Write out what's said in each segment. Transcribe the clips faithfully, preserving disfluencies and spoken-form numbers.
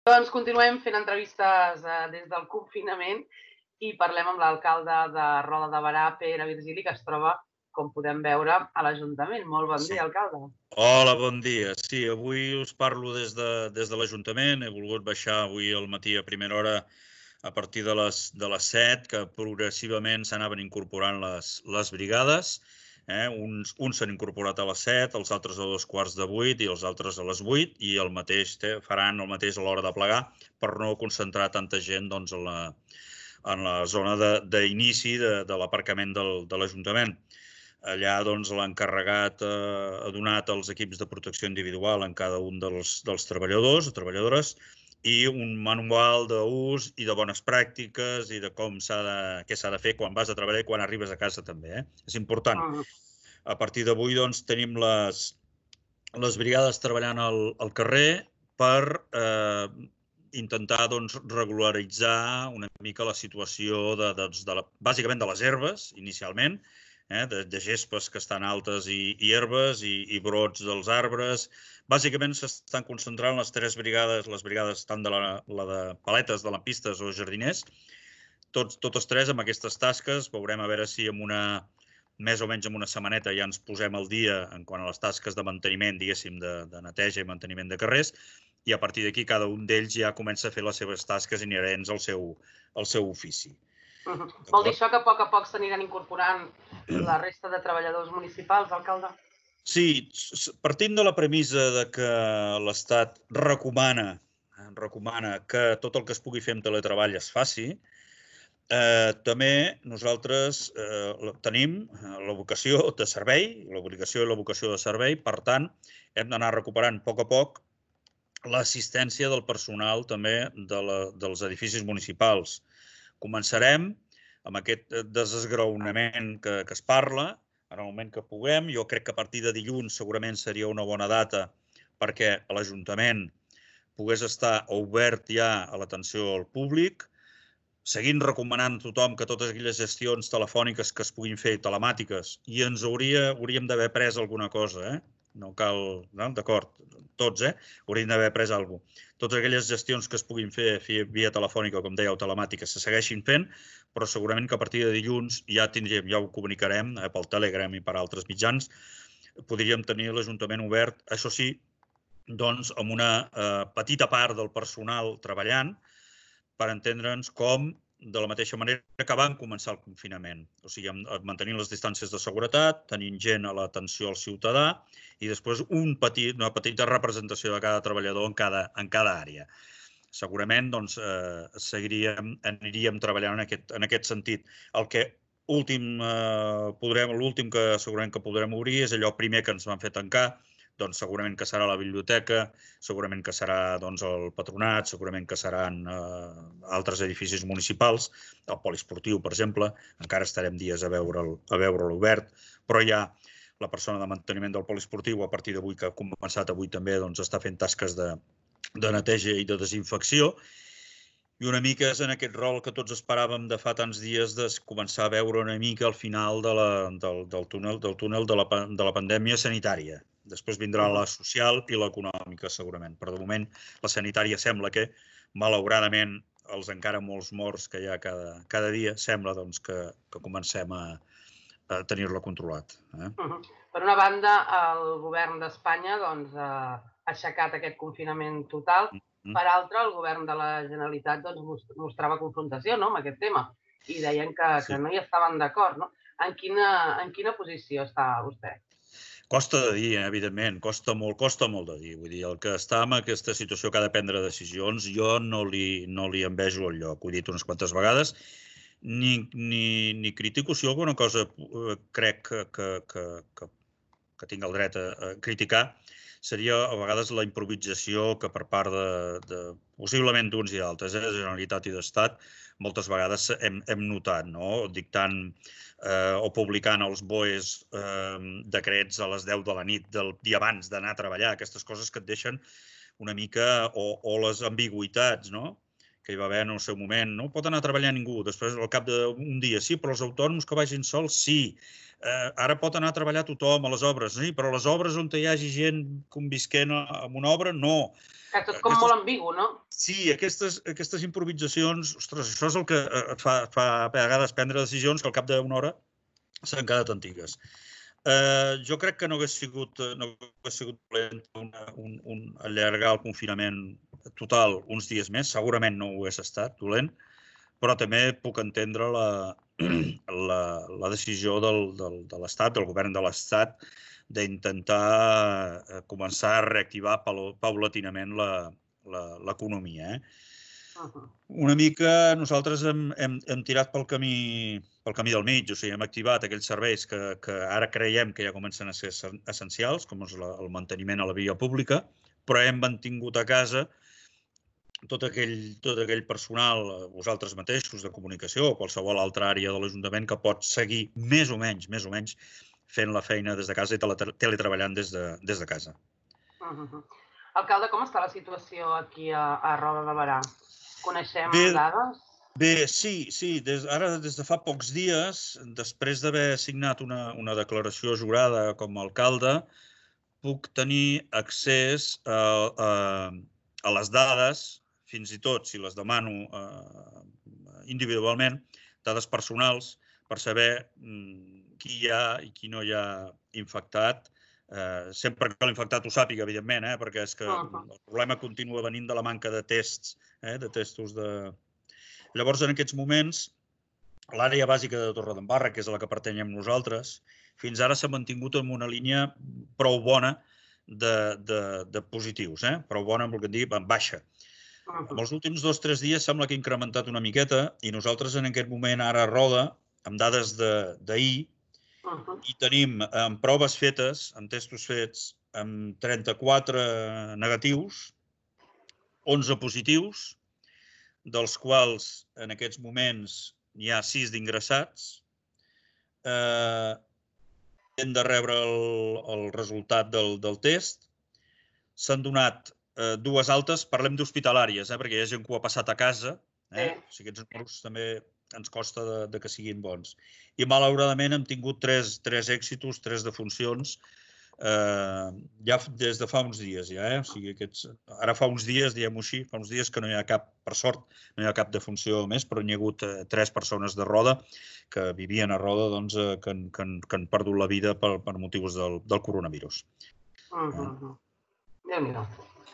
Doncs continuem fent entrevistes des del confinament i parlem amb l'alcalde de Roda de Berà, Pere Virgili, que es troba, com podem veure, a l'Ajuntament. Molt bon dia, alcalde. Hola, bon dia. Sí, avui us parlo des de, des de l'Ajuntament. He volgut baixar avui al matí a primera hora a partir de les, de les set, que progressivament s'anaven incorporant les, les brigades. Eh? Uns, uns s'han incorporat a les set, els altres a dos quarts de vuit i els altres a les vuit, i el mateix faran el mateix a l'hora de plegar per no concentrar tanta gent doncs, en, la, en la zona d'inici de, de, de l'aparcament del, de l'Ajuntament. Allà doncs, l'encarregat eh, ha donat els equips de protecció individual en cada un dels, dels treballadors o treballadores i un manual d'ús i de bones pràctiques i de com s'ha de, què s'ha de fer quan vas a treballar i quan arribes a casa també. Eh? És important. A partir d'avui doncs, tenim les, les brigades treballant al, al carrer per eh, intentar doncs, regularitzar una mica la situació de, de, de la, bàsicament de les herbes, inicialment, Eh, de, de gespes que estan altes i, i herbes i, i brots dels arbres. Bàsicament s'estan concentrant les tres brigades, les brigades tant de la, la de paletes, de lampistes o jardiners, tots, totes tres amb aquestes tasques. Veurem a veure si amb una, més o menys amb una setmaneta ja ens posem al dia en quant a les tasques de manteniment, diguéssim, de, de neteja i manteniment de carrers, i a partir d'aquí cada un d'ells ja comença a fer les seves tasques inherents al seu, al seu ofici. Uh-huh. Vol dir això que a poc a poc s'aniran incorporant la resta de treballadors municipals, alcalde? Sí, partint de la premissa de que l'Estat recomana, recomana que tot el que es pugui fer amb teletreball es faci, eh, també nosaltres eh, tenim la vocació de servei, l'obligació i la vocació de servei, per tant, hem d'anar recuperant a poc a poc l'assistència del personal també de la, dels edificis municipals. Començarem amb aquest desesgraonament que, que es parla, en el moment que puguem. Jo crec que a partir de dilluns segurament seria una bona data perquè l'Ajuntament pogués estar obert ja a l'atenció al públic, seguint recomanant a tothom que totes aquelles gestions telefòniques que es puguin fer telemàtiques, i ens hauria, hauríem d'haver pres alguna cosa, eh? No cal, no? D'acord, tots, eh? Hauríem d'haver pres alguna cosa. Totes aquelles gestions que es puguin fer via telefònica, com dèieu, telemàtiques, se segueixin fent, però segurament que a partir de dilluns ja tindríem, ja ho comunicarem eh, pel Telegram i per altres mitjans, podríem tenir l'Ajuntament obert, això sí, doncs amb una eh, petita part del personal treballant, per entendre'ns com de la mateixa manera que vam començar el confinament. O sigui, mantenint les distàncies de seguretat, tenint gent a l'atenció al ciutadà i després un petit, una petita representació de cada treballador en cada, en cada àrea. Segurament doncs, eh, seguiríem, aniríem treballant en aquest, en aquest sentit. El que últim, eh, podrem, l'últim que segurament que podrem obrir és allò primer que ens van fer tancar, doncs segurament que serà la biblioteca, segurament que serà doncs, el patronat, segurament que seran eh, altres edificis municipals, el poliesportiu, per exemple, encara estarem dies a veure'l a veure obert, però ja la persona de manteniment del poliesportiu, a partir d'avui, que ha començat avui també, doncs, està fent tasques de, de neteja i de desinfecció, i una mica és en aquest rol que tots esperàvem de fa tants dies de començar a veure una mica al final de la, del, del túnel, del túnel de, la, de la pandèmia sanitària. Després vindrà la social i l'econòmica, segurament. Però de moment la sanitària sembla que, malauradament, els encara molts morts que hi ha cada, cada dia, sembla doncs, que, que comencem a, a tenir-la controlat. Eh? Uh-huh. Per una banda, el govern d'Espanya doncs, ha aixecat aquest confinament total. Per altra, el govern de la Generalitat doncs, mostrava confrontació no, amb aquest tema i deien que, sí. que no hi estaven d'acord. No? En, quina, en quina posició està vostè? Costa de dir, evidentment, costa molt, costa molt de dir. Vull dir, el que està en aquesta situació que ha de prendre decisions, jo no li, no li envejo el lloc. Ho he dit unes quantes vegades. Ni, ni, ni critico si alguna cosa crec que, que, que, que, que tinc el dret a, a criticar, seria a vegades la improvisació que per part de, de possiblement d'uns i d'altres, eh, de Generalitat i d'Estat, moltes vegades hem, hem notat, no? Dictant eh, o publicant els B O Es eh, decrets a les deu de la nit del dia abans d'anar a treballar, aquestes coses que et deixen una mica, o, o les ambigüitats, no? que hi va haver en el seu moment. No pot anar a treballar ningú, després al cap d'un dia. Sí, però els autònoms que vagin sols, sí. Ara pot anar a treballar tothom a les obres, sí, però a les obres on hi hagi gent convisquent en una obra, no. Que tot com molt ambigu, no? Sí, aquestes improvisacions, ostres, això és el que et fa a vegades prendre decisions que al cap d'una hora s'han quedat antigues. Jo crec que no hagués sigut dolent allargar el confinament total uns dies més, segurament no ho hagués estat dolent, però també puc entendre la decisió de l'Estat, del govern de l'Estat, d'intentar començar a reactivar paulatinament l'economia. Una mica nosaltres hem tirat pel camí del mig, o sigui, hem activat aquells serveis que ara creiem que ja comencen a ser essencials, com és el manteniment a la via pública, però hem mantingut a casa tot aquell personal, vosaltres mateixos, de comunicació o qualsevol altra àrea de l'Ajuntament que pot seguir més o menys, més o menys, fent la feina des de casa i teletreballant des de casa. Alcalde, com està la situació aquí a Roda de Berà? Coneixem dades? Bé, sí, sí. Ara, des de fa pocs dies, després d'haver signat una declaració jurada com a alcalde, puc tenir accés a les dades, fins i tot si les demano individualment, dades personals, per saber qui hi ha i qui no hi ha infectat. Sempre que l'infectat ho sàpiga, evidentment, perquè és que el problema continua venint de la manca de tests, de testos de... Llavors, en aquests moments, l'àrea bàsica de Torredembarra, que és a la que pertanyem nosaltres, fins ara s'ha mantingut en una línia prou bona de positius, prou bona, vol dir, en baixa. En els últims dos o tres dies sembla que ha incrementat una miqueta i nosaltres en aquest moment ara a Roda, amb dades d'ahir, i tenim amb proves fetes, amb testos fets, amb trenta-quatre negatius, onze positius, dels quals en aquests moments n'hi ha sis d'ingressats. Hem de rebre el resultat del test. S'han donat dues altes, parlem d'hospitalàries, perquè hi ha gent que ho ha passat a casa, o sigui, aquests números també ens costa que siguin bons. I malauradament hem tingut tres èxitos, tres defuncions, ja des de fa uns dies. Ara fa uns dies, diguem-ho així, fa uns dies que no hi ha cap, per sort, no hi ha cap defunció més, però n'hi ha hagut tres persones de Roda que vivien a Roda que han perdut la vida per motius del coronavirus. Déu-n'hi-do.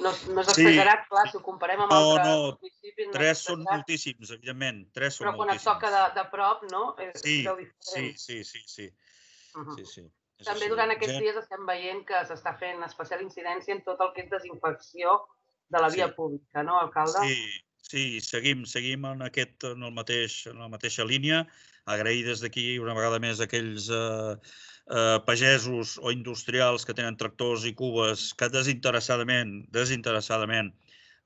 No és exagerat, clar, si ho comparem amb altres municipis... No, no, tres són moltíssims, evidentment, tres són moltíssims. Però quan et toca de prop, no? Sí, sí, sí, sí. També durant aquests dies estem veient que s'està fent especial incidència en tot el que és desinfecció de la via pública, no, alcalde? Sí, seguim en la mateixa línia. Agrair des d'aquí una vegada més aquells pagesos o industrials que tenen tractors i cubes que desinteressadament, desinteressadament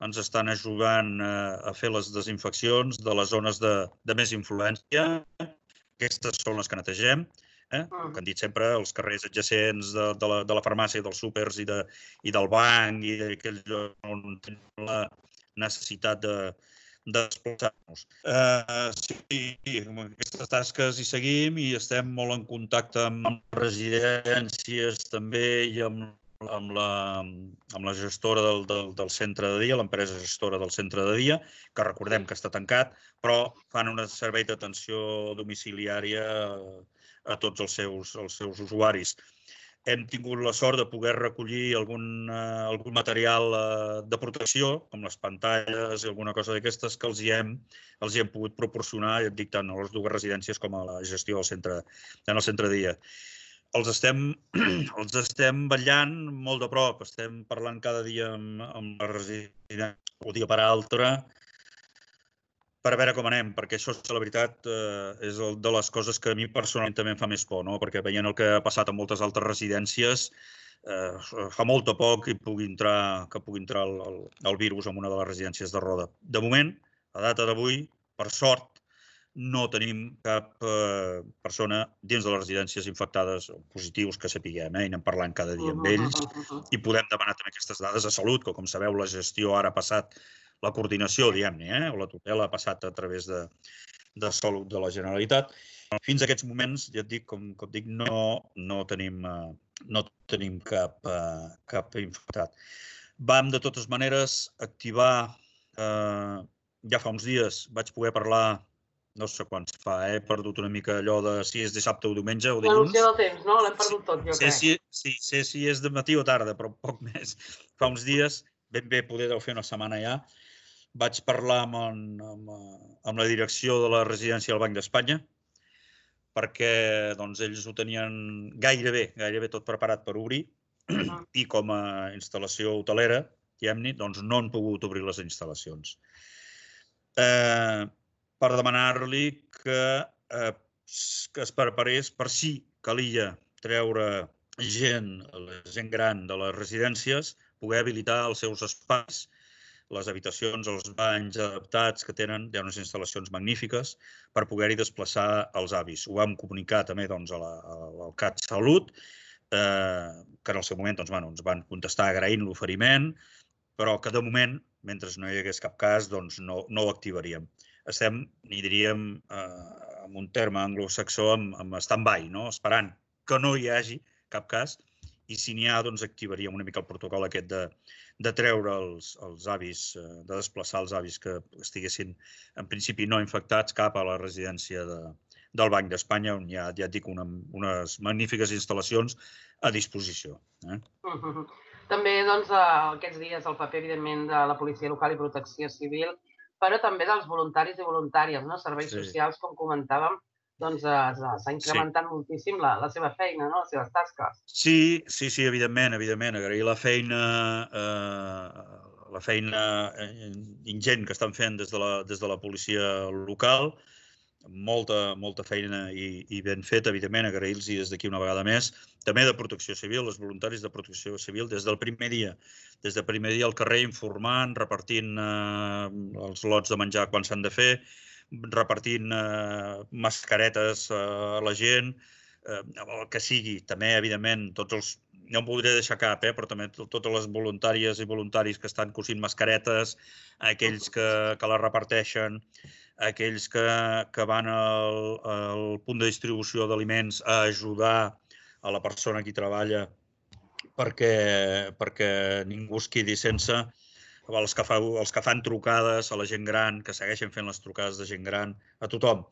ens estan ajudant a fer les desinfeccions de les zones de més influència. Aquestes són les que netegem. Que han dit sempre, els carrers adjacents de la farmàcia, dels súpers i del banc i d'aquells llocs on tenim la necessitat de desplaçar-nos. Sí, amb aquestes tasques hi seguim i estem molt en contacte amb residències també i amb la gestora del centre de dia, l'empresa gestora del centre de dia, que recordem que està tancat, però fan un servei d'atenció domiciliària a tots els seus usuaris. Hem tingut la sort de poder recollir algun material de protecció, com les pantalles i alguna cosa d'aquestes, que els hi hem pogut proporcionar, ja et dic, tant a les dues residències com a la gestió del centre de dia. Els estem vetllant molt de prop, estem parlant cada dia amb la residència, un dia per altre, per veure com anem, perquè això, la veritat, és de les coses que a mi personalment també em fa més por, perquè veient el que ha passat a moltes altres residències, fa molt a poc que pugui entrar el virus en una de les residències de Roda. De moment, a data d'avui, per sort, no tenim cap persona dins de les residències infectades o positius que sapiguem, i anem parlant cada dia amb ells i podem demanar també aquestes dades de salut, que com sabeu la gestió ara ha passat la coordinació, diguem-ne, o la tutela ha passat a través de, de Salut de la Generalitat. Fins a aquests moments, ja et dic, com, com dic, no, no tenim, no tenim cap, cap infectat. Vam, de totes maneres, activar, eh, ja fa uns dies vaig poder parlar, no sé quants fa, he perdut una mica allò de si és dissabte o diumenge o dilluns. La noció del temps, no? L'hem perdut tot, jo crec. Sí, sí, sé si és de matí o tarda, però poc més. Fa uns dies, ben bé, poder deu fer una setmana ja, vaig parlar amb, amb, amb la direcció de la residència del Banc d'Espanya, perquè doncs, ells ho tenien gairebé, gairebé tot preparat per obrir, i com a instal·lació hotelera, diguem-ne, doncs no han pogut obrir les instal·lacions. Eh, per demanar-li que, eh, que es preparés per si calia treure gent, la gent gran de les residències, poder habilitar els seus espais, les habitacions, els banys adaptats que tenen, hi ha unes instal·lacions magnífiques, per poder-hi desplaçar els avis. Ho vam comunicar també doncs, a la, al CatSalut, eh, que en el seu moment doncs, bueno, ens van contestar agraint l'oferiment, però que de moment, mentre no hi hagués cap cas, doncs no, no ho activaríem. Estem, n'hi diríem, eh, en un terme anglosaxó, amb, amb stand-by, no? Esperant que no hi hagi cap cas, i si n'hi ha, doncs activaríem una mica el protocol aquest de, de treure els, els avis, de desplaçar els avis que estiguessin, en principi, no infectats cap a la residència de, del Banc d'Espanya, on hi ha, ja et dic, una, unes magnífiques instal·lacions a disposició. Eh? Uh-huh. També, doncs, aquests dies el paper, evidentment, de la Policia Local i Protecció Civil, però també dels voluntaris i voluntàries, no? Serveis sí. socials, com comentàvem, doncs s'ha incrementat sí. moltíssim la, la seva feina, no? Les seves tasques. Sí, sí, sí, evidentment, evidentment. Agrair la feina, eh, la feina ingent que estan fent des de la, des de la policia local, molta, molta feina i, i ben feta, evidentment, agrair-los des d'aquí una vegada més. També de Protecció Civil, els voluntaris de Protecció Civil, des del primer dia, des del primer dia al carrer informant, repartint eh, els lots de menjar quan s'han de fer, repartint eh, mascaretes eh, a la gent, eh, el que sigui. També, evidentment, tots els... No em voldré deixar cap, eh, però també totes les voluntàries i voluntaris que estan cosint mascaretes, aquells que, que les reparteixen, aquells que, que van al, al punt de distribució d'aliments a ajudar a la persona que hi treballa perquè, perquè ningú es quedi sense, els que, fa, els que fan trucades a la gent gran, que segueixen fent les trucades de gent gran, a tothom.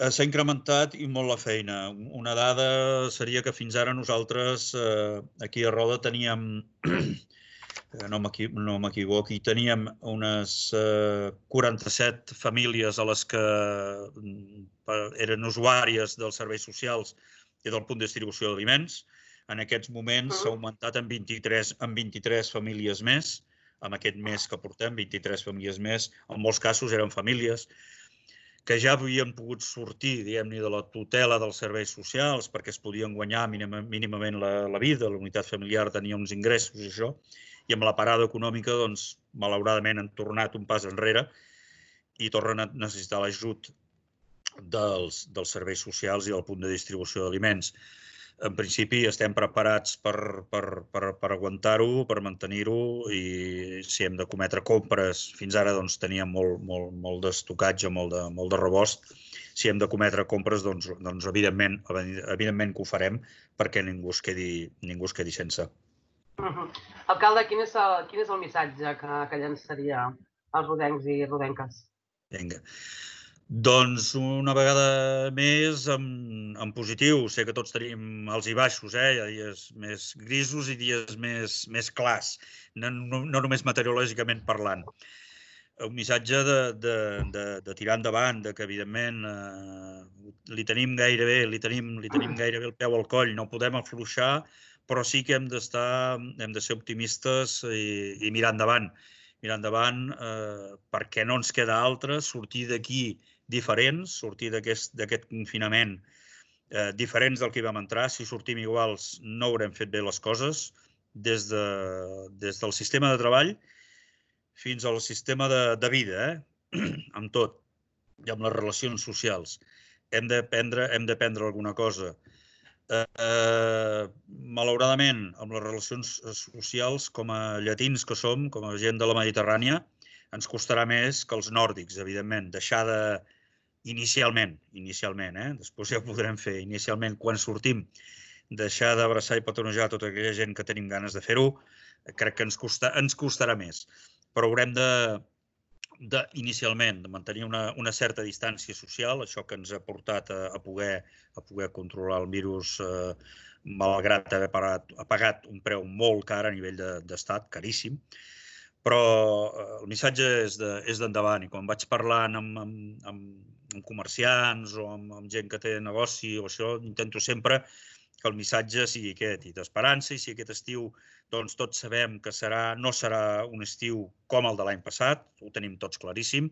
S'ha incrementat i molt la feina. Una dada seria que fins ara nosaltres eh, aquí a Roda teníem, no m'equivoqui, teníem unes eh, quaranta-set famílies a les que eren usuàries dels serveis socials i del punt de distribució d'aliments. En aquests moments s'ha augmentat en vint-i-tres, en vint-i-tres famílies més, amb aquest mes que portem, vint-i-tres famílies més. En molts casos eren famílies que ja havien pogut sortir, diguem-ne, de la tutela dels serveis socials perquè es podien guanyar mínimament la, la vida, la unitat familiar tenia uns ingressos i això, i amb la parada econòmica, doncs, malauradament han tornat un pas enrere i tornen a necessitar l'ajut dels, dels serveis socials i del punt de distribució d'aliments. En principi estem preparats per, per, per, per aguantar-ho, per mantenir-ho, i si hem de cometre compres, fins ara doncs, teníem molt, molt, molt d'estocatge, molt de, molt de rebost. Si hem de cometre compres, doncs, doncs evidentment, evidentment que ho farem perquè ningú es quedi, ningú es quedi sense. Uh-huh. Alcalde, quin és el, quin és el missatge que, que llançaria als rodencs i rodenques? Vinga. Doncs una vegada més en, en positiu. Sé que tots tenim alts i baixos, eh? Hi ha dies més grisos i dies més, més clars, no, no, no només meteorològicament parlant. Un missatge de, de, de, de tirar endavant, de que evidentment eh, li tenim gairebé, li tenim, li tenim gairebé el peu al coll, no podem afluixar, però sí que hem d'estar, hem de ser optimistes i, i mirar endavant. Mirar endavant eh, perquè no ens queda altre, sortir d'aquí diferents, sortir d'aquest confinament eh, diferents del que hi vam entrar. Si sortim iguals no haurem fet bé les coses, des, de, des del sistema de treball fins al sistema de, de vida, eh? Amb tot, i amb les relacions socials. Hem d'aprendre hem d'aprendre alguna cosa. Eh, eh, malauradament, amb les relacions socials, com a llatins que som, com a gent de la Mediterrània, ens costarà més que els nòrdics, evidentment. Deixar de, inicialment, inicialment, eh? Després ja ho podrem fer, inicialment, quan sortim, deixar d'abraçar i petonejar tota aquella gent que tenim ganes de fer-ho, crec que ens, costa, ens costarà més. Però haurem de, de inicialment, de mantenir una, una certa distància social, això que ens ha portat a, a, poder, a poder controlar el virus, eh, malgrat haver pagat, ha pagat un preu molt car a nivell d'estat, de, caríssim. Però el missatge és d'endavant, i quan vaig parlant amb, amb, amb, amb comerciants o amb, amb gent que té negoci o això, intento sempre que el missatge sigui aquest, i d'esperança, i si aquest estiu doncs tots sabem que serà, no serà un estiu com el de l'any passat, ho tenim tots claríssim,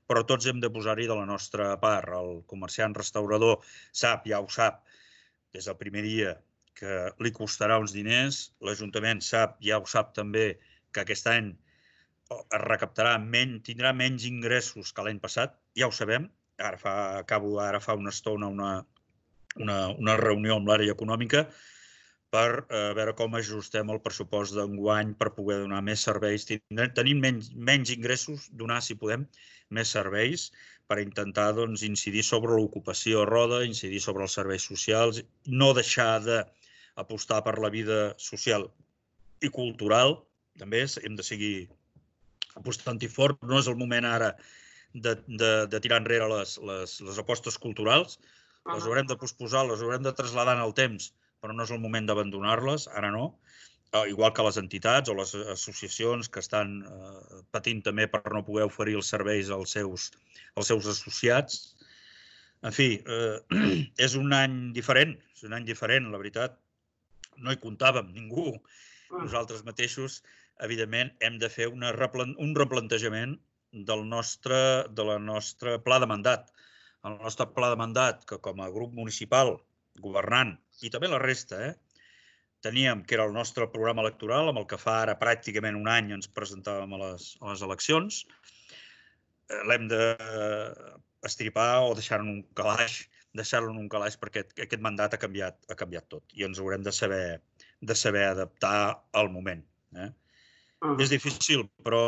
però tots hem de posar-hi de la nostra part. El comerciant restaurador sap, ja ho sap, des del primer dia, que li costarà uns diners, l'Ajuntament sap, ja ho sap també, que aquest any es recaptarà menys, tindrà menys ingressos que l'any passat, ja ho sabem, ara fa, acabo ara fa una estona una, una, una reunió amb l'àrea econòmica per eh, veure com ajustem el pressupost d'enguany per poder donar més serveis. Tenim menys, menys ingressos, donar, si podem, més serveis per intentar doncs, incidir sobre l'ocupació a roda, incidir sobre els serveis socials, no deixar d'apostar per la vida social i cultural, també hem de seguir apostant-hi fort. No és el moment ara de, de, de tirar enrere les, les, les apostes culturals, les haurem de posposar, les haurem de traslladar en el temps, però no és el moment d'abandonar-les, ara no, igual que les entitats o les associacions que estan eh, patint també per no poder oferir els serveis als seus, als seus associats. En fi, eh, és un any diferent, és un any diferent, la veritat. No hi comptàvem, ningú. Nosaltres mateixos, evidentment, hem de fer una, un replantejament del nostre, de la nostre pla de mandat. El nostre pla de mandat, que com a grup municipal governant, i també la resta, eh, teníem que era el nostre programa electoral, amb el que fa ara pràcticament un any ens presentàvem a les, a les eleccions, l'hem d'estripar o deixar-lo en un calaix, deixar-lo en un calaix perquè aquest mandat ha canviat, ha canviat tot i ens haurem de saber, de saber adaptar al moment. Eh? Uh-huh. És difícil, però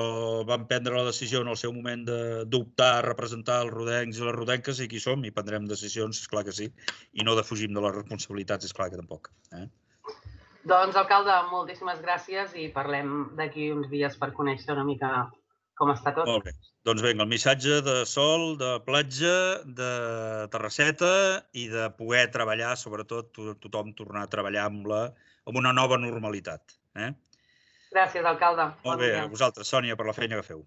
vam prendre la decisió en el seu moment d'optar a representar els rodencs i les rodenques i aquí som i prendrem decisions, esclar que sí, i no defugim de les responsabilitats, esclar que tampoc. Eh? Doncs, alcalde, moltíssimes gràcies i parlem d'aquí uns dies per conèixer una mica com està tot. Molt bé. Doncs vinga, el missatge de sol, de platja, de terrasseta i de poder treballar, sobretot tothom tornar a treballar amb, la, amb una nova normalitat. Eh? Gràcies, alcalde. Molt bé, a vosaltres, Sònia, per la feina que feu.